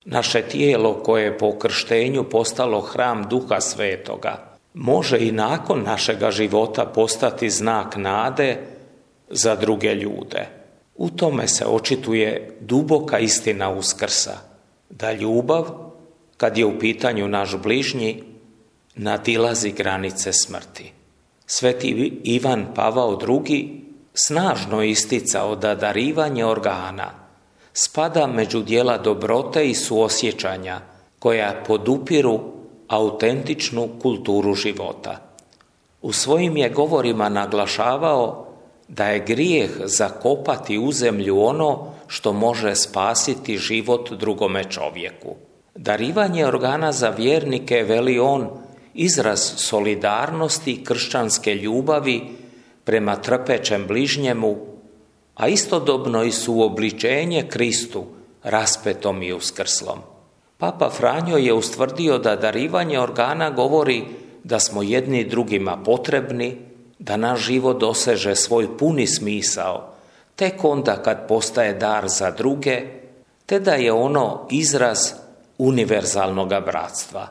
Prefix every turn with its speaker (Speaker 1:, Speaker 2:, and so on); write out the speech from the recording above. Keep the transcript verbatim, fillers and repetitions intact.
Speaker 1: Naše tijelo koje je po krštenju postalo hram Duha Svetoga, može i nakon našega života postati znak nade za druge ljude. U tome se očituje duboka istina Uskrsa, da ljubav, kad je u pitanju naš bližnji, nadilazi granice smrti. Sveti Ivan Pavao drugi snažno isticao da darivanje organa spada među djela dobrote i suosjećanja koja podupiru autentičnu kulturu života. U svojim je govorima naglašavao da je grijeh zakopati u zemlju ono što može spasiti život drugome čovjeku. Darivanje organa za vjernike, veli on, izraz solidarnosti i kršćanske ljubavi prema trpećem bližnjemu, a istodobno i suobličenje Kristu raspetom i uskrslom. Papa Franjo je ustvrdio da darivanje organa govori da smo jedni drugima potrebni, da naš život doseže svoj puni smisao tek onda kad postaje dar za druge, te da je ono izraz univerzalnoga bratstva.